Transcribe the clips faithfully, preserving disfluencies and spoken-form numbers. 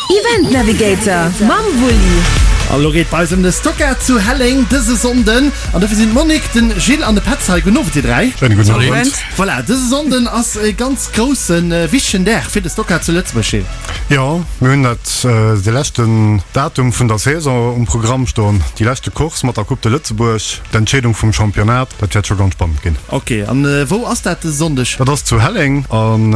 Event Navigator mam Wulli. An elo geet bei eis ëm de Stocker zu Helleng dëse Sonnden. An dofir sinn d'Monique, den Gilles an de Petz hei. Gudden Owend dir dräi. Schéine gudden Owend. Voilà, dëse Sonnden ass e ganz groussen, wichtegen Dag fir de Stocker zu Lëtzebuerg, Gilles. Jo, mir hunn dat de leschten Datum vun der Saison um Programm stoen, déi leschte Course mat der Coupe de Lëtzebuerg, d'Entscheedung vum Championnat. Dat wäert scho ganz spannend ginn. Ok, an wou ass dat dëse Sonndeg? Dat ass zu Helleng an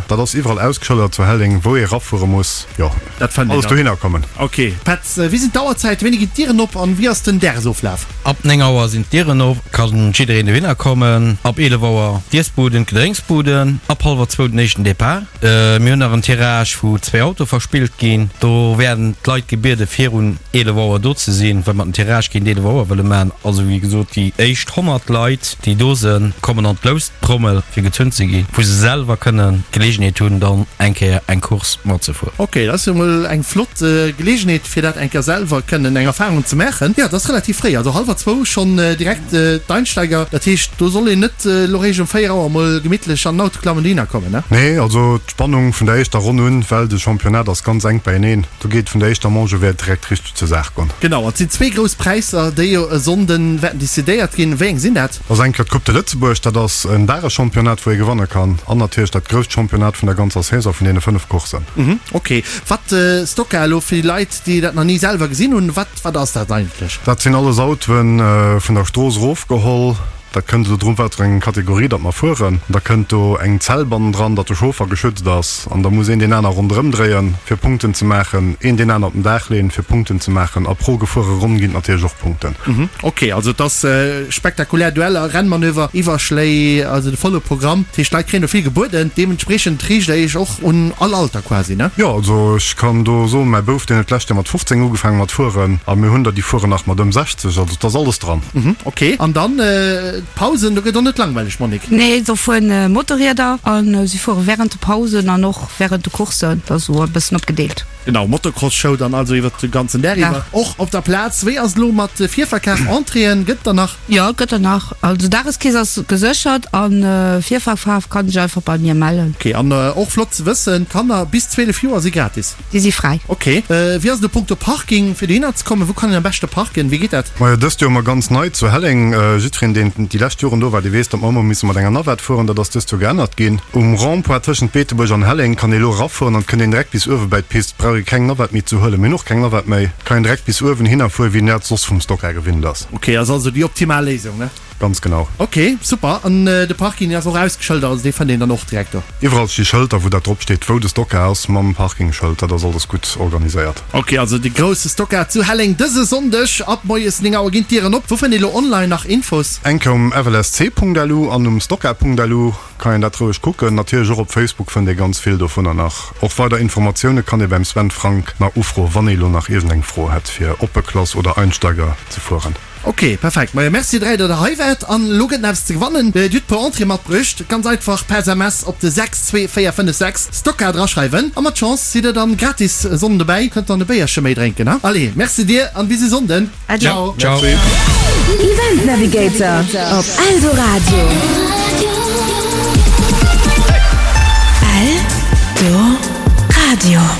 dat ass iwwerall ausgeschëldert zu Helleng, wou ee rafuere muss. Jo, Dat fënnt een alles dann. dohinner kommen. Ok, Petz, wéi sinn d'Auerzäiten, wéini ginn d'Dieren op an wéi ass den Dagesoflaf? Ab néng Auer sinn d'Dieren op, kann jiddereen dohinner kommen. Ab eelef Auer d'Iessbuden, d'Gedrénksbuden. Ab hallwer zwou den éischten Depart. Mir hunn nach en Tirage wou zwee Autoe verspillt ginn. Do wäerten d'Leit gebiede virun eelef Auer do ze sinn, well mer den Tirage géint eelef Auer wëlle maachen. Also wéi gesot, déi éischt honnert Leit, déi do sënn, kommen an d'Loustrommel fir gezunn ze ginn, wou se selwer kënnen d'Geleegenheet hunn, dann eng Kéier eng Course matzefueren. Ok, dat ass jo mol eng flott Geleegenheet fir dat eng Kéier selwer kënnen eng Erfahrung ze maachen. Jo, dat ass relativ fréi, also hallwer zwou schonn direkt d'Einsteiger. Dat heescht, do soll een net elo réischt um véier Auer mol gemittlech an den Auto klammen an dohinner kommen, ne? Nee, also d'Spannung vun der éischter Ronn un, well de Championnat ass ganz enk beieneen, do geet vun der éischter Manche u wäert direkt richteg zur Saach goen. Genau, an et sinn zwee grouss Präisser, déi jo e Sonnden wäerten decidéiert ginn. Wéi eng sinn dat? Dat ass eng Kéier d'Coupe de Lëtzebuerg, dat ass en Dageschampionnat, wou ee gewanne kann, an natierlech dat grousst Championnat vun der ganzer Saison vun deene fënnef Courssen. Mhm, ok. Wat Stock-Car elo fir déi Leit, déi dat nach ni selwer gesinn hunn, wat wat ass dat eigentlech? Dat sinn alles Autoen vun der Strooss erofgeholl. Dat kënnt elo drun, wat fir eng Kategorie datt mer fueren. Da kënnt do eng Zell bannendran, datt de Chauffer geschützt ass. An da muss een deen aner ronderëm dréien, fir Punkten ze maachen, een deen aner op den Daach leen, fir Punkten ze maachen. A pro gefuere Ronn ginn et natierlech och Punkten. Mhm, ok, also et ass spektakulär Dueller, Rennmanöver, Iwwerschléi, also de volle Programm. Dat heescht, d'Leit kréien do vill gebueden. Deementspreechend riicht der iech och un all Alter quasi, ne? Jo, also ech kann do soen, mäi Bouf, deen huet d'lescht Joer mat fofzéng ugefaange mat fueren a mir hunn der, déi fueren nach mat ëm sechzeg. Also et ass alles dran. Mhm, ok. An dann d'Pausen, do gëtt och net langweileg, Monique? Nee, do fueren Motorrieder a si fuere wärend de Pausen an och wärend de Courssen. Dat ass esou e bëssen opgedeelt. Genau, Motocross-Show dann also iwwert de ganzen Dag iwwer. Och op der Plaz. Wéi ass et elo mat Virverkaf, Entréeën, gëtt der nach? Jo, gëtt der nach. Also Dageskeess ass geséchert an Virverkaf kann sech einfach bei mir mellen. Ok, an och flott ze wëssen, Kanner bis zwielef Joer si gratis. Déi si fräi. Ok, wéi ass et a punkto Parking fir dohinner ze kommen? Wou kann een am beschte parken? Wéi geet dat? Majo, dëst Joer hu mer ganz nei zu Helleng. Jiddwereen, deen déi lescht Joren do war, dee weess, datt mer ëmmer hu misse mat enger Navette fueren. Dat ass dëst Joer geännert ginn. Um Rond-point tëschent Beetebuerg an Helleng kann ee elo erafueren an et kënnt een direkt bis uewe bäi d'Pist. Brauch ee keng Navette méi ze huelen. Mir hunn och keng Navette méi. Kann een direkt bis uewen hinner fueren, wéi een dat soss vum Stocker gewinnt ass. Ok, ass also déi optimal Léisung, ne? Ganz genau. Ok, super. An de Parking ass och ausgeschëldert, also dee fënnt een dann och direkt do? Iwwerall sti Schëlter, wou dat drop steet, wou de Stocker ass, mam Parkingschëld. Dat ass alles gutt organiséiert. Ok, also de grousse Stocker zu Helleng dëse Sonndeg ab moies néng Auer ginn d'Dieren op. Wou fënnt ee lo online nach Infos? Eng Kéier um flsc.lu an um stocker.lu kann een dat roueg kucken. Natierlech och op Facebook fënnt ee ganz vill dovunner nach. Och weider Informatioune kann ee beim Sven Frank nach ufroen, wann ee lo nach iergendeng Fro hätt fir Oppe Klass oder Einsteiger ze fueren. Ok, perfekt. Majo, merci dräi, datt der hei waart. An elo gëtt nach eppes ze gewannen. Dir hutt puer Entrée matbruecht. Ganz einfach per S M S op de sechs zwee véier fënnef sechs Stocker draschreiwen a mat Chance sidd der dann gratis e Sonnden dobäi. Kënnt dann e Béierche méi drénken, ha? Allez, merci dir an bis e Sonnden. Ciao. Ciao. Event Navigator op Eldoradio. Eldoradio.